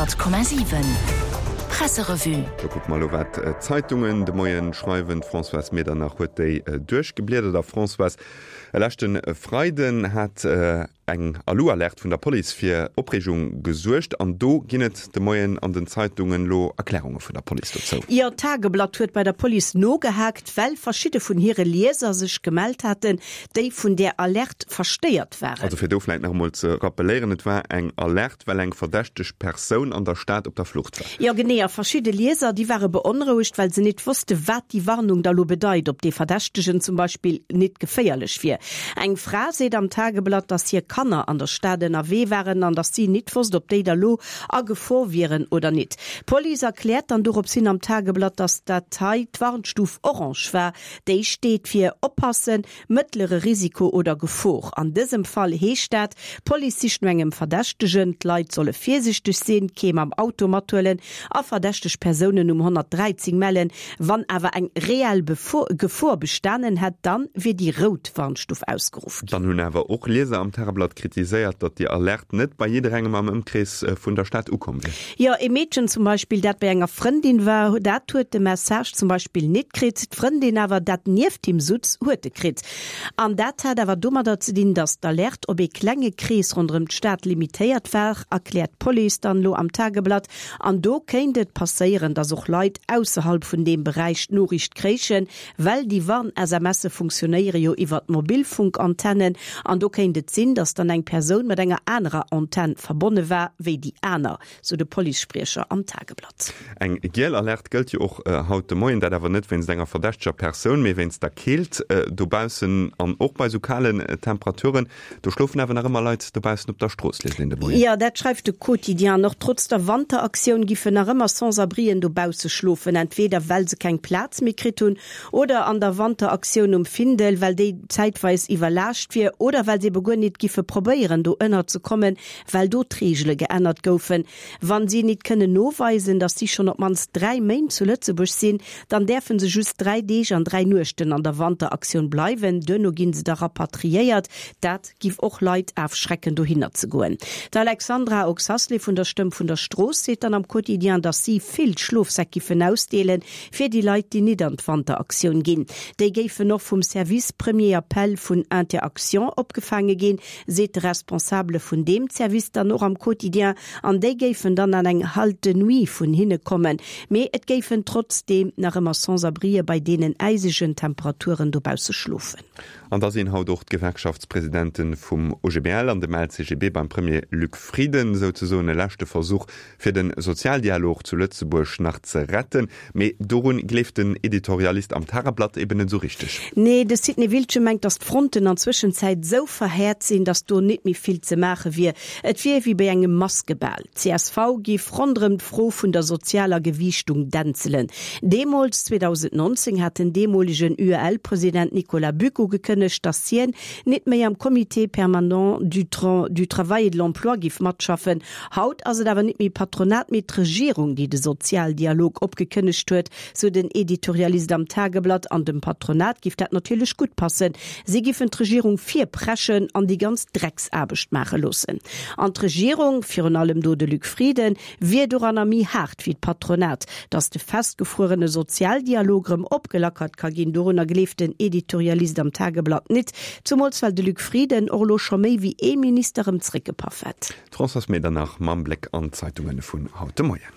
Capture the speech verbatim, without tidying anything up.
Honnert Komma siwen Presserevue. Da kucke mer elo wat d'Zeitungen de Moien schreiwen. D'Françoise Medernach huet déi duerchgebliedert. A Françoise, e leschte Freiden hat eng Alu-Alerte vun der Police fir Opreegung gesuergt an do ginn et de Moien an den Zeitungen elo Erklärunge vun der Police dozou. Jo, d'Tageblatt huet bei der Police nogehaakt, well verschidde vun hire Lieser sech gemellt haten, déi vun där Alerte verstéiert waren. Also fir do vläit nach emol ze rappeléieren, et war eng Alerte, well eng verdächteg Persoun an der Stad op der Flucht war. Jo genee, a verschidde Lieser, déi ware beonrouegt, well se nit wosste wat déi Warnung da lo bedeit, ob dee Verdächtegen zum Beispill nit geféierlech wier. Eng Fra seet am Tageblatt, dass hir Kanner an der Stad ënnerwee waren an dass si nit wosst, ob déi da lo a Gefor wieren oder nit. D'Police erkläert dann dorops hin am Tageblatt, dass dat hei d'Warnstuf Orange war, déi steet fir Oppassen, mëttlere Risiko oder Gefor. An dësem Fall heescht dat, D'Police sicht no engem Verdächtegen, d'Leit solle virsichteg sinn, kee mam Auto mathuelen a verdächteg Persounen um honnertdräizéng mellen. Wann awer eng reell Gefor bestanen hätt, dann wier déi rout Warnstuf ausgeruff ginn. Dann hunn awer och Lieser am Tageblatt kritiséiert, datt déi Alerte net bei jidderengem am Ëmkrees vun der Stad ukomm wier. Jo, ee Meedchen zum Beispill, dat bei enger Frëndin war, dat huet de Message zum Beispill nit kritt. D'Frëndin awer, dat nieft him sutz, huet e kritt. An dat hat awer domadder ze dinn, datt d'Alerte op ee klenge Krees ronderëm d'Stad limitéiert war, erkläert d'Police dann elo am Tageblatt. An do kéint et passéieren, datt och Leit ausserhalb vun deem Beräich d'Noriicht kréichen, well déi Warn-SMSe funktionéiere jo iwwert Mobilfunkantennen. An do kéint et sinn, datt dann eng Persoun mat enger anerer Antenn verbonne war wéi déi aner, sou de Policespriecher am Tageblatt. Eng giel Alerte gëllt jo och haut de Moien, dat awer net wéinst enger verdächteger Persoun, mee wéinst der Keelt dobaussen an och bei sou kalen Temperaturen. Do schlofen awer nach ëmmer Leit dobaussen op der Strooss, liest een de Moien. Jo, dat schreift de Quotidien. An och trotz der Wanteraktioun giffen nach ëmmer Sans-abrien dobausse schlofen, entweder well se keng Plaz méi kritt hunn oder an der Wanteraktioun um Findel, well déi zäitweis iwwerlaascht wier oder well se ebe guer nit giffe probéieren do ënner ze kommen, well do d'Reegele geännert goufen. Wann si nit kënnen noweisen, datt si schonn op d'mannst dräi Méint zu Lëtzebuerg sinn, dann däerfe se just dräi Deeg an dräi Nuechten an der Wanteraktioun bleiwen. Duerno ginn se da rapatriéiert. Dat giff och Leit afschrecken dohinner ze goen. D'Alexandra Oxasley vun der Stëmm vun der Strooss seet dann am Quotidien, datt si vill Schlofsäck giffen ausdeelen, fir déi Leit, déi nit an d'Wanteraktioun ginn. Déi géifen och vum Service Premier Appel vun Inter-Actions opgefaange ginn, seet de Responsabele vun deem Service dann och am Quotidien. An déi géifen dann an eng Halte de nuit vun hinne kommen. Mee et géifen trotzdeem nach ëmmer Sans-abrien bei deenen äisegen Temperaturen dobausse schlofen. An da sinn haut och d'Gewerkschaftspresidente vum O G B L an dem L C G B beim Premier Luc Frieden, souzesoen e leschte Versuch, fir de Sozialdialog zu Lëtzebuerg nach ze retten. Mee dorun gleeft den Editorialist am Tageblatt eben net esou richteg. Nee, de Sidney Wiltgen mengt, datt d'Fronten an Zwëschenzäit esou verhäert sinn, datt do nit méi vill ze maache wier. Et wier wéi bei engem Maskebal. D'C S V giff ronderëm d'Fro vun der sozialer Gewiichtung dänzelen. Deemools, zweedausendnonzéng, hat den deemolegen U E L-President Nicolas Buck ugekënnegt, datt hien nit méi am Comité permanent du du travail et de l'emploi giff matschaffen. Haut ass et awer nit méi d'Patronat, mee d'Regierung, déi de Sozialdialog opgekënnegt huet, sou den Editorialist am Tageblatt. An dem Patronat giff dat natierlech gutt passen. Si giffen d'Regierung virpreschen an déi ganz Drecksaarbecht maache loossen. An d'Regierung, virun allem do de Luc Frieden, wier doranner méi haart wéi d'Patronat. Datt de festgefruerene Sozialdialog erëm opgelackert ka ginn, dorunner gleeft den Editorialist am Tageblatt nit. Zumools well de Luc Frieden och elo scho méi wéi ee Minister erëm zréckgepaff hätt. D'Françoise Medernach mam Bléck an d'Zeitunge vun haut de Moien.